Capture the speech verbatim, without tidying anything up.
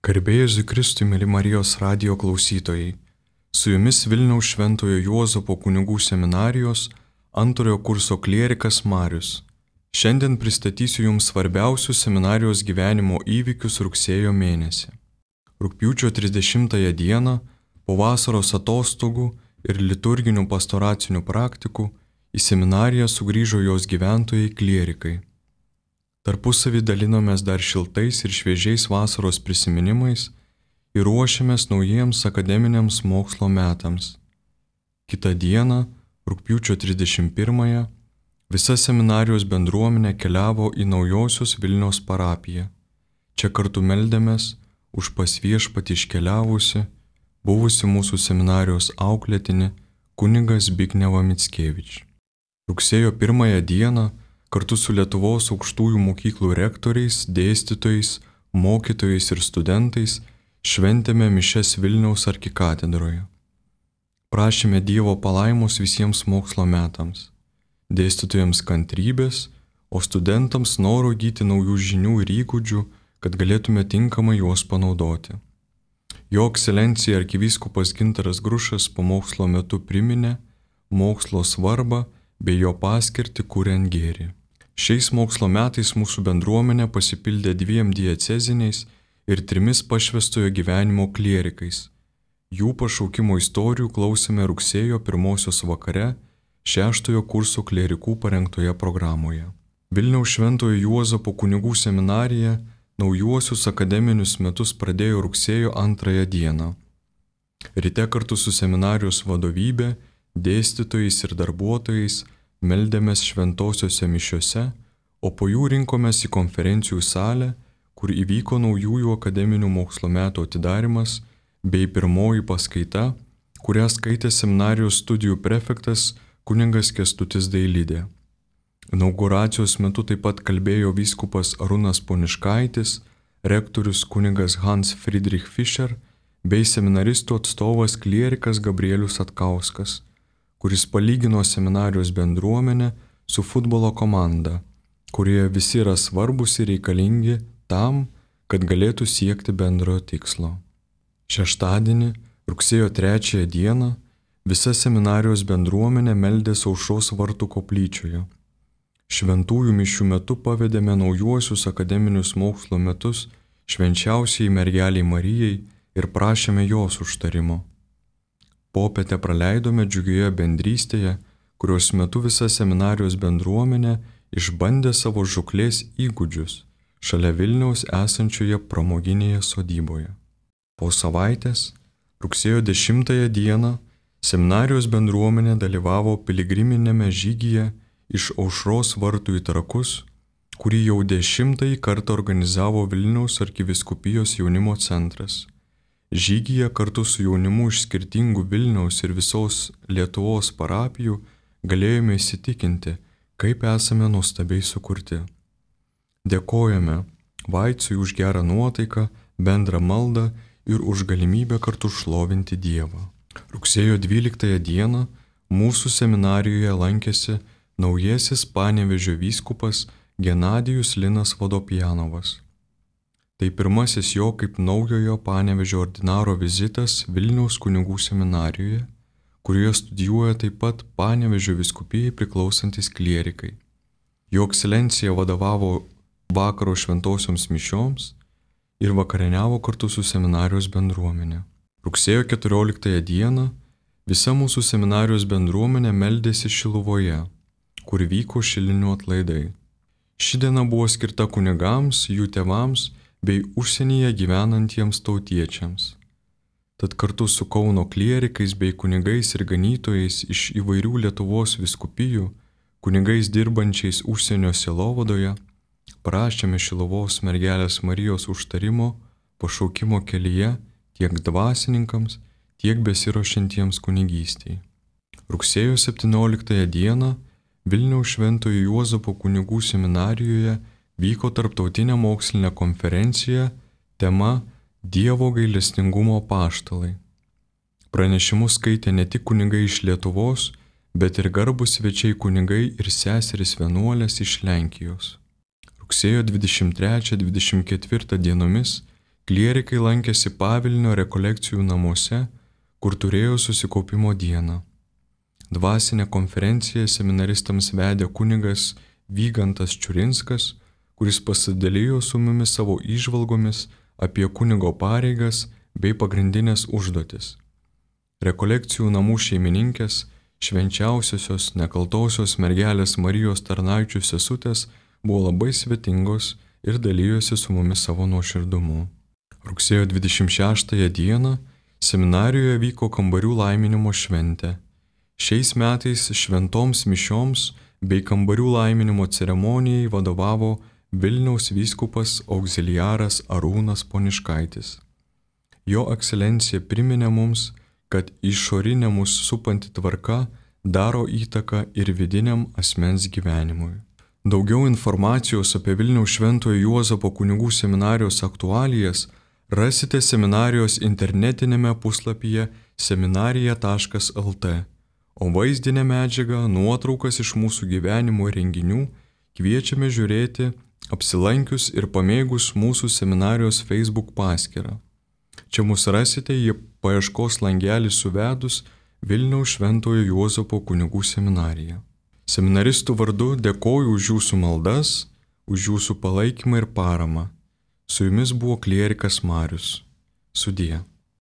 Garbė Jėzui Kristui, mėly Marijos radijo klausytojai. Su jumis Vilniaus Šventojo Juozapo kunigų seminarijos antrojo kurso klierikas Marius. Šiandien pristatysiu jums svarbiausius seminarijos gyvenimo įvykius rugsėjo mėnesį. Rugpjūčio trisdešimtąją dieną, po vasaros atostogų ir liturginių pastoracinių praktikų, į seminariją sugrįžo jos gyventojai klierikai. Tarpusavį dalinomės dar šiltais ir šviežiais vasaros prisiminimais ir ruošiamės naujiems akademiniams mokslo metams. Kitą dieną, rugpjūčio trisdešimt pirmąją, visa seminarijos bendruomenė keliavo į Naujosios Vilnios parapiją. Čia kartu meldėmės už pas Viešpatį iškeliavusi, buvusi mūsų seminarijos auklėtinį kunigas Zbignevą Mickevič. Rugsėjo pirmąją dieną kartu su Lietuvos aukštųjų mokyklų rektoriais, dėstytojais, mokytojais ir studentais šventėme mišias Vilniaus arkikatedroje. Prašėme Dievo palaimos visiems mokslo metams, dėstytojams kantrybės, o studentams noro įgyti naujų žinių ir įgūdžių, kad galėtume tinkamai juos panaudoti. Jo ekscelencija arkivyskupas Gintaras Grušas pamokslo metu priminė mokslo svarbą bei jo paskirtį kuriant gėrį. Šiais mokslo metais mūsų bendruomenė pasipildė dviem dieceziniais ir trimis pašvęstojo gyvenimo klierikais. Jų pašaukimo istorijų klausėme rugsėjo pirmosios vakare šeštojo kurso klierikų parengtoje programoje. Vilniaus Šventojo Juozapo kunigų seminarija naujuosius akademinius metus pradėjo rugsėjo antrąją dieną. Ryte kartu su seminarijos vadovybė, dėstytojais ir darbuotojais meldėmės šventosiose mišiose, o po jų rinkomės į konferencijų salę, kur įvyko naujųjų akademinių mokslo metų atidarimas bei pirmoji paskaita, kurią skaitė seminarijos studijų prefektas kunigas Kęstutis Dailidė. Inauguracijos metu taip pat kalbėjo vyskupas Arūnas Poniškaitis, rektorius kunigas Hans Friedrich Fischer bei seminaristų atstovas klierikas Gabrielius Atkauskas, kuris palygino seminarijos bendruomenę su futbolo komanda, kurioje visi yra svarbus ir reikalingi tam, kad galėtų siekti bendrojo tikslo. Šeštadienį, rugsėjo trečiąją dieną, visa seminarijos bendruomenė meldėsi Aušros vartų koplyčioje. Šventųjų mišių metu pavedėme naujuosius akademinius mokslo metus švenčiausiai mergeliai Marijai ir prašėme jos užtarimo. Popietę praleidome džiugioje bendrystėje, kurios metu visa seminarijos bendruomenė išbandė savo žūklės įgūdžius šalia Vilniaus esančioje pramoginėje sodyboje. Po savaitės, rugsėjo dešimtąją dieną, seminarijos bendruomenė dalyvavo piligriminėme žygyje iš Aušros vartų į Trakus, kurį jau dešimtąjį kartą organizavo Vilniaus arkivyskupijos jaunimo centras. Žygyje kartu su jaunimu iš skirtingų Vilniaus ir visos Lietuvos parapijų galėjome įsitikinti, kaip esame nuostabiai sukurti. Dėkojame Vaicui už gerą nuotaiką, bendrą maldą ir už galimybę kartu šlovinti Dievą. Rugsėjo dvyliktąją dieną mūsų seminarijoje lankėsi naujasis Panevėžio vyskupas Genadijus Linas Vodopjanovas. Tai pirmasis jo kaip naujojo Panevėžio ordinaro vizitas Vilniaus kunigų seminarijoje, kurioje studijuoja taip pat Panevėžio vyskupijai priklausantis klierikai. Jo ekscelencija vadovavo vakaro šventosioms mišioms ir vakarieniavo kartu su seminarijos bendruomenė. Rugsėjo keturioliktąją dieną visa mūsų seminarijos bendruomenė meldėsi Šiluvoje, kur vyko šilinių atlaidai. Ši diena buvo skirta kunigams, jų tėvams bei užsienyje gyvenantiems tautiečiams. Tad kartu su Kauno klierikais bei kunigais ir ganytojais iš įvairių Lietuvos vyskupijų, kunigais dirbančiais užsienio sielovadoje, prašėme Šiluvos mergelės Marijos užtarimo pašaukimo kelyje tiek dvasininkams, tiek besiruošiantiems kunigystei. Rugsėjo septynioliktąją dieną Vilniaus Šventojo Juozapo kunigų seminarijoje vyko tarptautinė mokslinė konferencija tema Dievo gailestingumo apaštalai. Pranešimus skaitė ne tik kunigai iš Lietuvos, bet ir garbūs svečiai kunigai ir seserys vienuolės iš Lenkijos. Rugsėjo dvidešimt trečią dvidešimt ketvirtą dienomis klierikai lankėsi Pavilnio rekolekcijų namuose, kur turėjo susikaupimo dieną. Dvasinę konferenciją seminaristams vedė kunigas Vygantas Čiurinskas, kuris pasidalijo su mumis savo įžvalgomis apie kunigo pareigas bei pagrindinės užduotis. Rekolekcijų namų šeimininkės, švenčiausiosios nekaltosios mergelės Marijos tarnaičių sesutės buvo labai svetingos ir dalyjosi su mumis savo nuoširdumu. Rugsėjo dvidešimt šeštąją dieną seminarijoje vyko kambarių laiminimo šventė. Šiais metais šventoms mišioms bei kambarių laiminimo ceremonijai vadovavo Vilniaus vyskupas auxiliaras Arūnas Poniškaitis. Jo ekscelencija priminė mums, kad išorinė mus supanti tvarka daro įtaką ir vidiniam asmens gyvenimui. Daugiau informacijos apie Vilniaus Šventojo Juozapo kunigų seminarijos aktualijas rasite seminarijos internetinėme puslapyje seminarija taškas el te, o vaizdinę medžiagą, nuotraukas iš mūsų gyvenimo renginių kviečiame žiūrėti apsilankius ir pamėgus mūsų seminarijos Facebook paskyrą. Čia mus rasite į paieškos langelį suvedus Vilniaus Šventojo Juozapo kunigų seminariją. Seminaristų vardu dėkoju už jūsų maldas, už jūsų palaikymą ir paramą. Su jumis buvo klierikas Marius. Sudie.